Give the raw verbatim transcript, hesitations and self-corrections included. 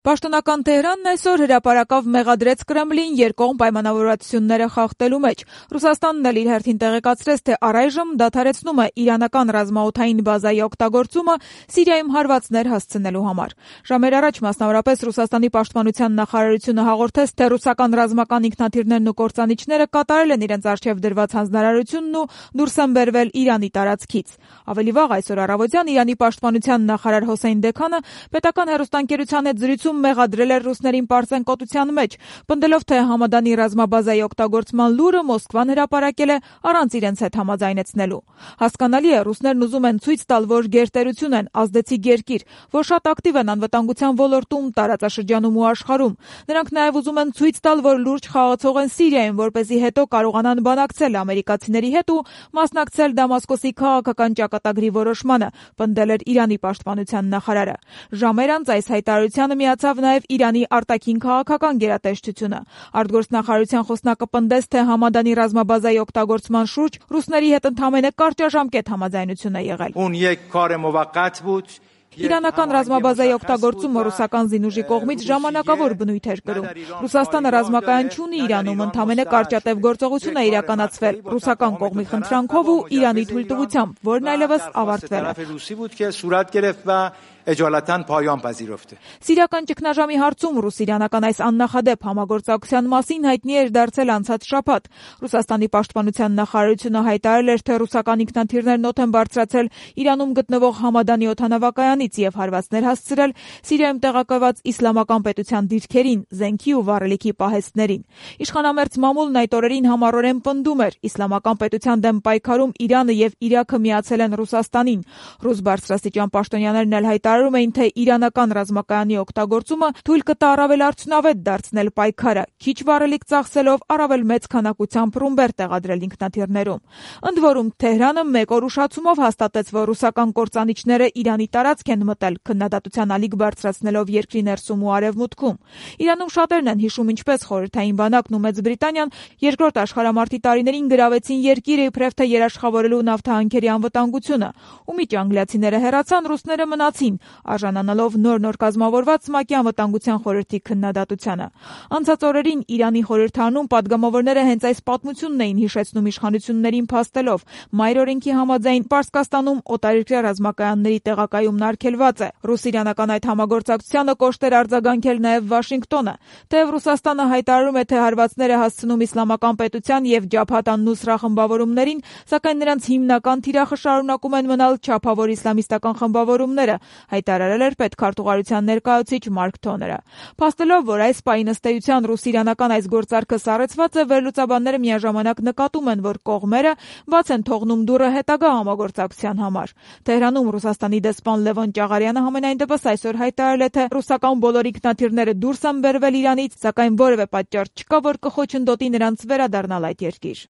Պաշտոնական Թեհրանն այսօր հրապարակավ մեղադրեց Կրեմլին երկկողմ պայմանավորվածությունները խախտելու մեջ։ Ռուսաստանն էլ իր հերթին տեղեկացրեց, թե առայժմ դադարեցնում է իրանական ռազմաօդային բազայի օգտագործումը Սիրիայում հարվածներ հասցնելու համար։ Ժամեր առաջ մասնավորապես Ռուսաստանի պաշտպանության նախարարությունը հաղորդեց, թե ռուսական ռազմական ինքնաթիռներն ու կործանիչները կատարել են իրենց առջև դրված հանձնարարությունն ու դուրս են բերվել Իրանի տարածքից։ Ավելի վաղ այսօր առավոտյան Իրանի պաշտպանության նախարար Հոսեյն Դեքանը պետական հեռուստաընկերության հետ զրույցում մեղադրել էր ռուսներին պարծենկոտության մեջ, պնդելով, թե Համադանի ռազմաբազայի օգտագործման լուրը Մոսկվան հրապարակել է առանց իրենց հետ համաձայնեցնելու։ Հասկանալի է, ռուսներն ուզում են ցույց տալ, որ գերտերություն են, ազդեցիկ երկիր, որ շատ ակտիվ են անվտանգության ոլորտում, տարածաշրջանում ու աշխարհում։ Նրանք նաև ուզում են ցույց տալ, որ լուրջ խաղացող են Սիրիայում, որպեսզի հետո կարողանան բանակցել ամերիկացիների հետ ու մասնակցել Դամասկոսի քաղաքական ճակատագրի որոշմանը, պնդել էր Իրանի պաշտպանության նախարարը։ Ժամեր անց այս հայտարարությանը միացավ նաև Իրանի արտաքին քաղաքական գերատեսչությունը։ Արտգործնախարարության խոսնակը պնդեց, թե Համադանի ռազմաբազայի օգտագործման շուրջ ռուսների հետ ընդամենը կարճաժամկետ համաձայնություն է եղել։ Իրանական ռազմաբազայի օգտագործումը ռուսական զինուժի կողմից ժամանակավոր բնույթ էր կրում։ Ռուսաստանը ռազմակայան չունի Իրանում, ընդամենը կարճատև գործողություն է իրականացվել ռուսական կողմի խնդրանքով ու Իրանի թույլտվությամբ, որն այլևս ավարտվել է։ Սիրիական ճգնաժամի հարցում ռուս-իրանական այս աննախադեպ համագործակցության մասին հայտնի էր դարձել անցած շաբաթ։ Ռուսաստանի պաշտպանության նախարարությունը հայտարարել էր, թե ռուսական ինքնաթիռներն օդ են բարձրացել Իրանում գտնվող Համադանի օդանավակայանից եւ հարվածներ հասցրել Սիրիայում տեղակայված իսլամական պետության դիրքերին, զենքի ու վառելիքի պահեստներին։ Իշխանամերձ մամուլն այդ օրերին համառորեն պնդում էր, իսլամական պետության դեմ պայքարում Իրանը եւ Իրաքը միացել են Ռուսաստանին։ Ռուս բարձրաստիճան պաշտոնյաներն էլ հայտարարում էին, թե իրանական ռազմակայանի օգտագործումը թույլ կտա առավել արդյունավետ դարձնել պայքարը, քիչ վառելիք ծախսելով առավել մեծ քանակությամբ ռումբեր տեղադրել ինքնաթիռներում։ Ընդ որում Թեհրանը մեկ օր ուշացումով հաստատեց, որ ռուսական կործանիչները Իրանի տարածք են մտել, քննադատության ալիք բարձրացնելով երկրի ներսում ու արևմուտքում։ Իրանում շատերն են հիշում, ինչպես Խորհրդային բանակն ու Մեծ Բրիտանիան երկրորդ աշխարհամարտի տարիներին գրավեցին երկիրը իբրև թե երաշխավորելու նավթահանքերի անվտանգությունը։ Ու միջ անգլիացիները հեռացան, ռուսները մնացին, արժանանալով նոր-նոր կազմավորված ՄԱԿ-ի անվտանգության խորհրդի քննադատությանը։ Անցած օրերին Իրանի խորհրդարանում պատգամավորները հենց այս պատմությունն էին հիշեցնում իշխանություններին փաստելով։ Մայր օրենքի համաձայն Պարսկաստանում օտարերկրյա ռազմակայանների տեղակայումն արգելված է։ Ռուս-իրանական այդ համագործակցությանը կոշտ էր արձագանքել նաև Վաշինգտոնը։ Թեև Ռուսաստանը հայտարարում է, թե հարվածներ է հասցնում իսլամական պետության եւ Ջաբհաթ ան-Նուսրա խմբավորումներին, սակայն նրանց հիմնական թիրախը շարունակում են մնալ չափավոր իսլամիստական խմբավորումները, հայտարարել էր պետքարտուղարության ներկայացուցիչ Մարկ Թոները։ Փաստելով, որ այս պահին ըստ էության ռուս-իրանական այս գործարքը սառեցված է, վերլուծաբանները միաժամանակ նկատում են, որ կողմերը բաց են թողնում դուռը հետագա համագործակցության համար։ Թեհրանում Ռուսաստանի դեսպան Լևոն Ճաղարյանը համենայնդեպս այսօր հայտարարել է, թե ռուսական բոլոր ինքնաթիռները դուրս են բերվել Իրանից, սակայն որևէ պատճառ չկա, որ կխոչընդոտի նրանց վերադառնալ այդ երկիր։